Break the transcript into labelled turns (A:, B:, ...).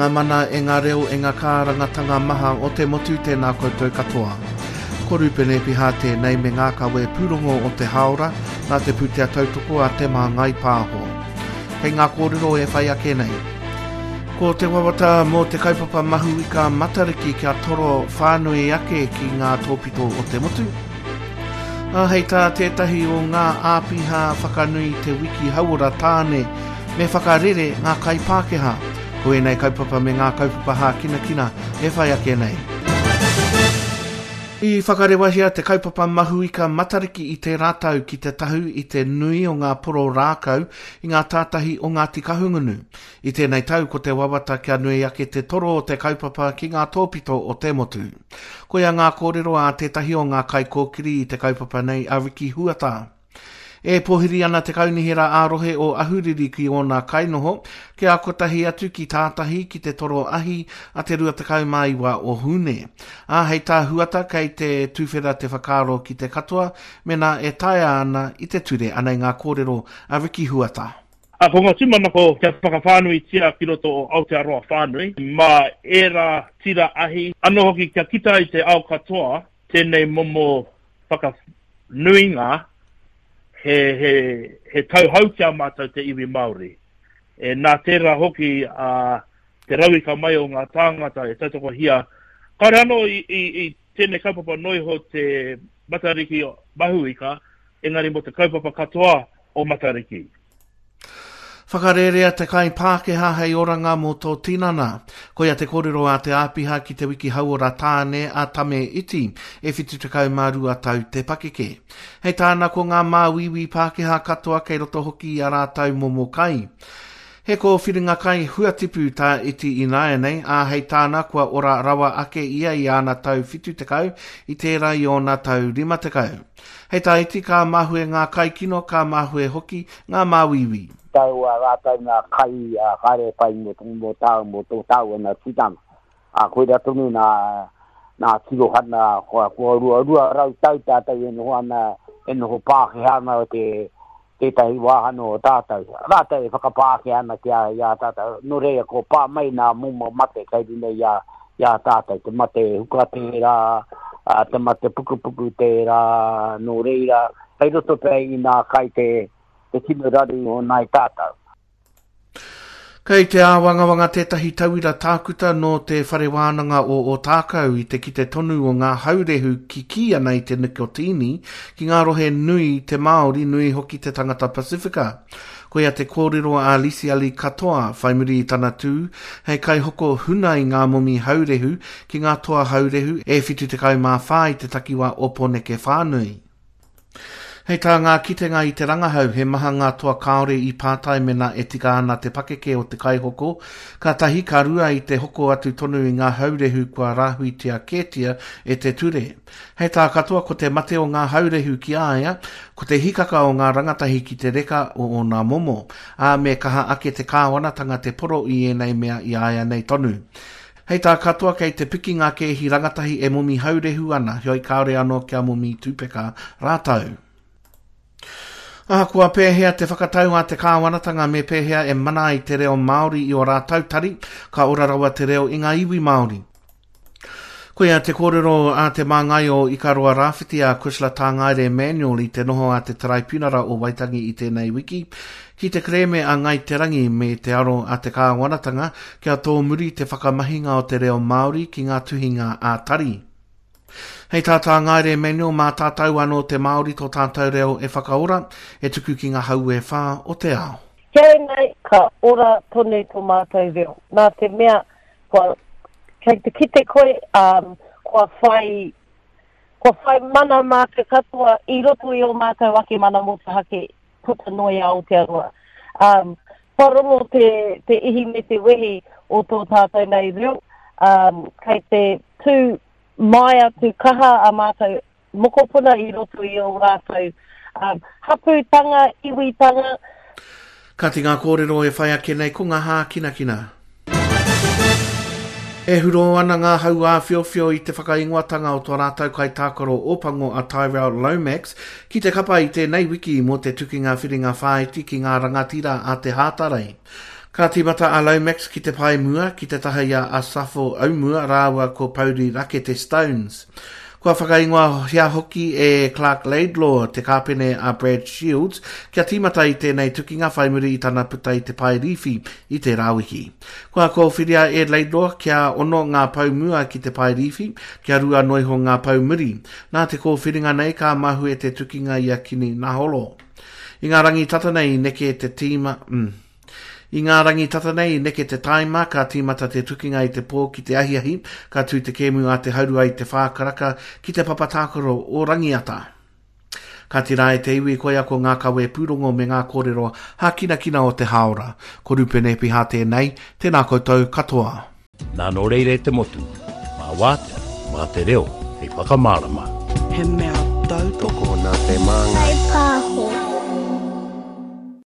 A: ngā mana, e ngā reo, e ngā kārangatanga maha o te motu, tēnā koutou katoa. Ko Rūpene Piha tēnei me ngā kawe pūrongo o te hāora nā te pūtea tautoko a Te Māngai Pāho. Kei ngā kōrero e whai ake nei. Ko te wawata mō te kaupapa Mahuika Matariki kia toro whānui ake ki ngā tōpito o te motu. Ā, hei tā tētahi o ngā āpiha whakanui te wiki hauora tāne me whakarere ngā kai Pākehā. Ko ēnei kaupapa me ngā kaupapa hākinakina e whai ake nei. I whakarewahia te kaupapa Mahuika Matariki i tērā tau ki te tahu i te nui o ngā poro rākau i ngā tātahi o Ngāti Kahungunu. I tēnei tau ko te wawata kia nui ake te toro o te kaupapa ki ngā tōpito o te motu. Koia ngā kōrero a tētahi o ngā kaikōkiri i te kaupapa nei a Ricky Huata. E pōhiri ana te kaunihera ā-rohe o Ahuriri ki ōna kainoho kia kotahi atu ki tātahi ki te toro ahi a te 29 o Hūne. Ā, hei tā Huata kei te tuwhera te whakaaro ki te katoa mēnā e taea ana i te ture. Anei ngā kōrero a Ricky Huata.
B: Ā, ko ngā tūmanako kia whakawhānuitia ki roto o Aotearoa whānui, mā ērā tira ahi, anō hoki kia kita i te ao katoa tēnei momo whakanuinga he, he, he tauhou ki a mātou te iwi Māori. E, nā tērā hoki a te rauika mai o ngā tāngata e tautokohia. Kāore anō i, i, i tēnei kaupapa noa iho te Matariki Mahuika, engari mō te kaupapa katoa o Matariki.
A: Whakarērea te kai Pākehā hei oranga mō tō tinana. Koia te kōrero a te āpiha ki te wiki hauora tāne a Tame Iti, e 72 tau te pakeke. Hei tāna ko ngā māuiui Pākehā katoa kei roto hoki i a rātou momo kai. He kōwhiringa kai huatipu tā Iti ināianei, ā, hei tāna kua ora rawa ake ia i āna tau 70 i tērā i ōna tau 50. Hei tā Iti ka mahue ngā kai kino, ka mahue hoki ngā māuiui.
C: Tau a rātou ngā kai ā, kāre e pai mō, mō tāu, mō tō tāua nā tikanga. Ā, koirā tonu nā, nā tirohana, kua, kua 200 tau tātou e noho ana, e noho Pākehā ana te, tētahi wāhanga o tātou. Rātou e whakapākehā ana ki a, i a tātou. Nō reira, kua pā mai nā momo mate kei runga i a, i a tātou. Te mate huka tērā, ā, te mate pukupuku tērā, nō reira, kei roto pea i nā kai te, te tino raru o nāi tātou.
A: Kei te āwangawanga tētahi tauira tākuta nō te Whare Wānanga o Ōtākou i te kite tonu o ngā haurehu kikī ana i te nikotīni ki ngā rohe nui te Māori, nui hoki te tangata Pasifika. Koia te kōrero a Lisiali Katoa whai muri i tana tū hei kaihoko huna i ngā momi haurehu ki ngā toa haurehu e 74 i te takiwā o Pōneke whānui. Hei tā ngā kitenga i te rangahau, he maha ngā toa kāore i pātai mēnā e tika ana te pakeke o te kaihoko, ka tahi, ka rua i te hoko atu tonu i ngā haurehu kua rāhuitia kētia e te ture. Hei tā Katoa ko te mate o ngā haurehu ki a ia, ko te hikaka o ngā rangatahi ki te reka o ōna momo, ā, me kaha ake te kāwanatanga te poro i ēnei mea i āianei tonu. Hei tā Katoa kei te piki ngā kēhi rangatahi e momi haurehu ana, heoi kāore anō kia momi tupeka rātou. Ahakoa pēhea te whakatau a te kāwanatanga me pēhea e mana ai te reo Māori i ō rātou tari, ka ora rawa te reo i ngā iwi Māori. Koia te kōrero a te māngai o Ikaroa Rāwhiti a Cushla Tāngaere Manuel i te noho a te Taraipiunara o Waitangi i tēnei wiki, Ki te kerēme a Ngāi Te Rangi me te aro a te kāwanatanga kia tōmuri te whakamahinga o te reo Māori ki ngā tuhinga ā-tari. Hei tā Tā Ngaere Manuel, mā tātou anō te Māori tō tātou reo e whakaora, e tuku ki ngā hau e whā o te ao.
D: Tēnei ka ora tonu tō mātou reo, nā te mea kua, kei te kite koe, um, kua whai, kua whai mana mātou katoa i roto i ō mātou ake mana motuhake puta noa i Aotearoa. Um, kua rongo te, te ihi me te wehi o tō tātou nei reo, um, kei te tū māia tū kaha a mātou mokopuna i roto i ō rātou um, hapūtanga, iwitanga.
A: Kāti ngā kōrero e whai ake nei ko ngā hākinakina. E hurō ana ngā hau āwhiowhio i te whakaingoatanga o tō rātou kaitākaro Ōpango a Tyrell Lomax ki te kapa i tēnei wiki mō te tukinga whiringa whāiti ki ngā rangatira a te Hātarei. Ka tīmata a Lomax ki te pae mua, ki te taha i a Asafo Aumua rāua ko Pouri Rakete Stones. Kua whakaingoahia hoki e Clark Laidlaw te kāpene a Brad Shields kia tīmata i tēnei tukinga whai muri i tana puta i te pae rīwhi i tērā wiki. Kua kōwhiria e Laidlaw kia ono ngā pou mua ki te pae rīwhi, kia rua noiho ngā pou muri. Nā te kōwhiringa nei ka mahue te tukinga i a Kini Naholo. I ngā rangi tata nei i neke te tīma, mm. I ngā rangi tata nei i neke te tāima, ka tīmata te tukinga i te pō ki te ahiahi, ka tū te kēmu a te haurua i te whā karaka ki te papa tākaro o Rangiata. Ka tira e te iwi koia ko ngā kawē pūrongo me ngā kōrero hākinakina o te hāora. Ko Rupene Piha tēnei, tēnā koutou katoa.
E: Nā nō reira e te motu, mā wātea, mā te reo hei whakamārama.
F: He mea tautoko
G: nā te Māngai.